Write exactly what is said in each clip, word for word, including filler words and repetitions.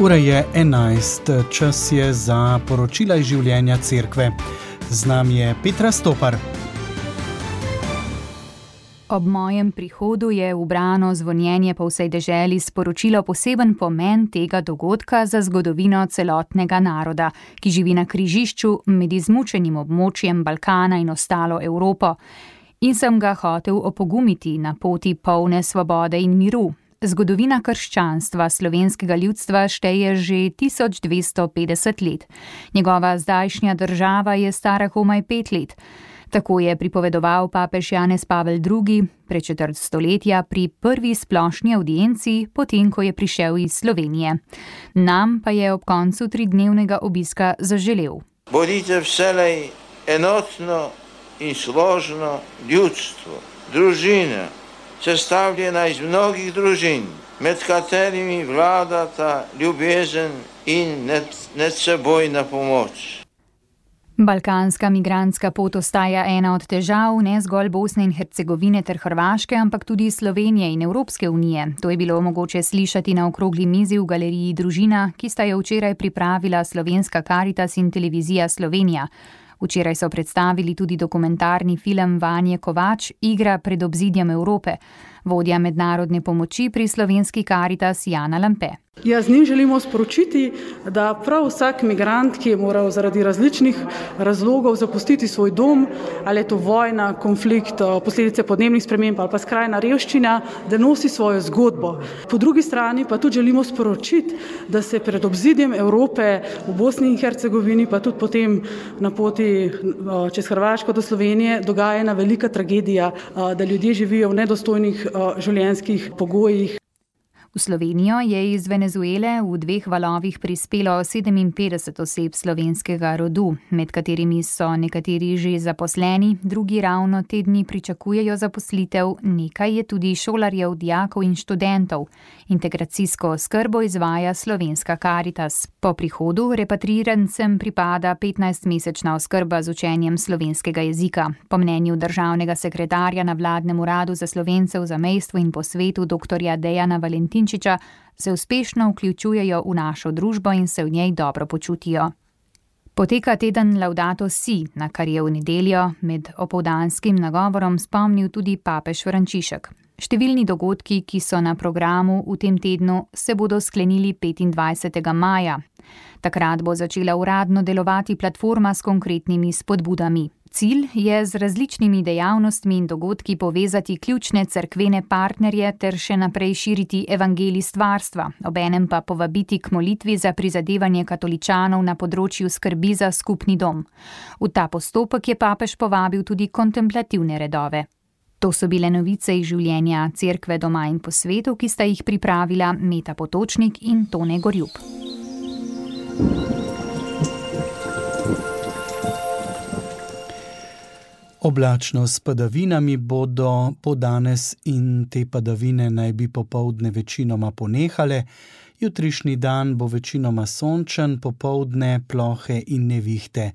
Ura je enajst, čas je za poročila iz življenja cerkve. Z nami je Petra Stopar. Ob mojem prihodu je ubrano zvonjenje po vsej deželi sporočilo poseben pomen tega dogodka za zgodovino celotnega naroda, ki živi na križišču med izmučenim območjem Balkana in ostalo Evropo. In sem ga hotel opogumiti na poti polne svobode in miru. Zgodovina krščanstva slovenskega ljudstva šteje že tisoč dvesto petdeset let. Njegova zdajšnja država je stara komaj pet let. Tako je pripovedoval papež Janez Pavel drugi pred četrt stoletja pri prvi splošni avdienci, potem ko je prišel iz Slovenije. Nam pa je ob koncu tridnevnega obiska zaželel. Bodite vselej enotno in složno ljudstvo, družina, sestavljena iz mnogih družin, med katerimi vladata ljubezen in medsebojna pomoč. Balkanska migrantska pot ostaja ena od težav ne zgolj Bosne in Hercegovine ter Hrvaške, ampak tudi Slovenije in Evropske unije. To je bilo mogoče slišati na okrogli mizi v galeriji Družina, ki sta jo včeraj pripravila Slovenska Karitas in Televizija Slovenija. Včeraj so predstavili tudi dokumentarni film Vanje Kovač, Igra pred obzidjem Evrope. Vodja mednarodne pomoči pri Slovenski Karitas Jana Lampe. Ja, z njim želimo sporočiti, da prav vsak migrant, ki je moral zaradi različnih razlogov zapustiti svoj dom, ali je to vojna, konflikt, posledice podnebnih sprememb ali pa skrajna revščina, da nosi svojo zgodbo. Po drugi strani pa tudi želimo sporočiti, da se pred obzidjem Evrope v Bosni in Hercegovini, pa tudi potem na poti čez Hrvaško do Slovenije, dogaja ena velika tragedija, da ljudje živijo v nedostojnih življenjskih pogojih. V Slovenijo je iz Venezuele v dveh valovih prispelo sedeminpetdeset oseb slovenskega rodu, med katerimi so nekateri že zaposleni, drugi ravno te dni pričakujejo zaposlitev, nekaj je tudi šolarjev, dijakov in študentov. Integracijsko oskrbo izvaja Slovenska Karitas. Po prihodu repatriirancem pripada petnajstmesečna oskrba z učenjem slovenskega jezika. Po mnenju državnega sekretarja na vladnem uradu za Slovence v zamejstvu in po svetu doktorja Dejana Valentinčiča se uspešno vključujejo v našo družbo in se v njej dobro počutijo. Poteka teden Laudato Si, na kar je v nedeljo med opoldanskim nagovorom spomnil tudi papež Frančišek. Številni dogodki, ki so na programu v tem tednu, se bodo sklenili petindvajsetega maja. Takrat bo začela uradno delovati platforma s konkretnimi spodbudami. Cilj je z različnimi dejavnostmi in dogodki povezati ključne cerkvene partnerje ter še naprej širiti evangelij stvarstva, obenem pa povabiti k molitvi za prizadevanje katoličanov na področju skrbi za skupni dom. V ta postopek je papež povabil tudi kontemplativne redove. To so bile novice iz življenja cerkve doma in po svetu, ki sta jih pripravila Meta Potočnik in Tone Gorjup. Oblačno s padavinami bodo po danes in te padavine naj bi popoldne večinoma ponehale. Jutrišnji dan bo večinoma sončen, popoldne plohe in nevihte.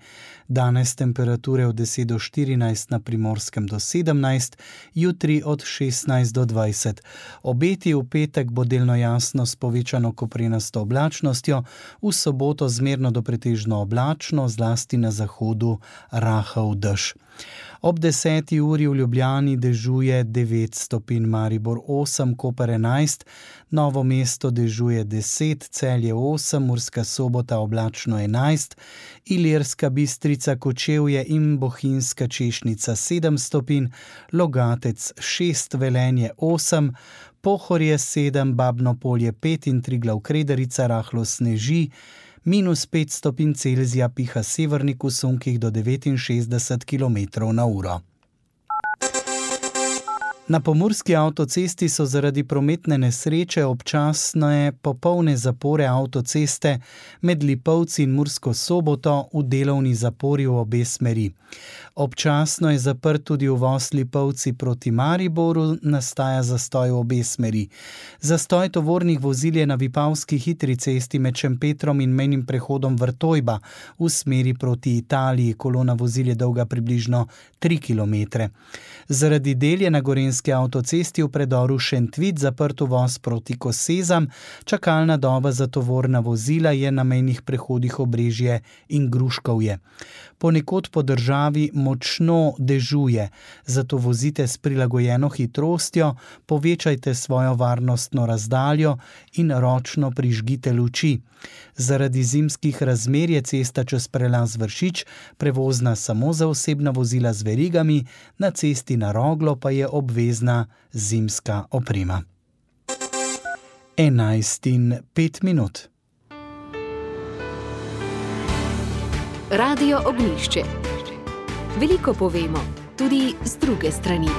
Danes temperature od deset do štirinajst, na Primorskem do sedemnajst, jutri od šestnajst do dvajset. Obeti v petek bo delno jasno s povečano koprenasto oblačnostjo, v soboto zmerno do pretežno oblačno, zlasti na zahodu rahel dež. Ob deseti uri v Ljubljani dežuje devet stopinj, Maribor osem, Koper enajst, Novo mesto dežuje deset, Celje osem, Murska Sobota oblačno enajst, Ilirska Bistrica, Kočevje in Bohinjska Češnica sedem stopinj, Logatec šest, Velenje osem, Pohorje sedem, Babno Polje pet in Triglav Krederica rahlo sneži, minus pet stopinj Celzija piha severnik v sunkih do devetinšestdeset kilometrov na uro. Na pomurski avtocesti so zaradi prometne nesreče občasne popolne zapore avtoceste med Lipovci in Mursko Soboto v delovni zapori v obe smeri. Občasno je zaprt tudi uvoz Lipovci proti Mariboru, nastaja zastoj v obe smeri. Zastoj tovornih vozil je na Vipavski hitri cesti med Šempetrom in mejnim prehodom Vrtojba v smeri proti Italiji. Kolona vozil je dolga približno tri kilometre. Zaradi del je na Gorenjski Trboveljski avtocesti v predoru Šentvid zaprt uvoz proti Kosezam, čakalna doba za tovorna vozila je na mejnih prehodih Obrežje in Gruškovje. Ponekod po državi močno dežuje, zato vozite s prilagojeno hitrostjo, povečajte svojo varnostno razdaljo in ročno prižgite luči. Zaradi zimskih razmer je cesta čez prelaz Vršič prevozna samo za osebna vozila z verigami, na cesti na Roglo pa je obvezna zimska oprema. enajst in pet minut. Radio Ognjišče. Veliko povemo, tudi z druge strani.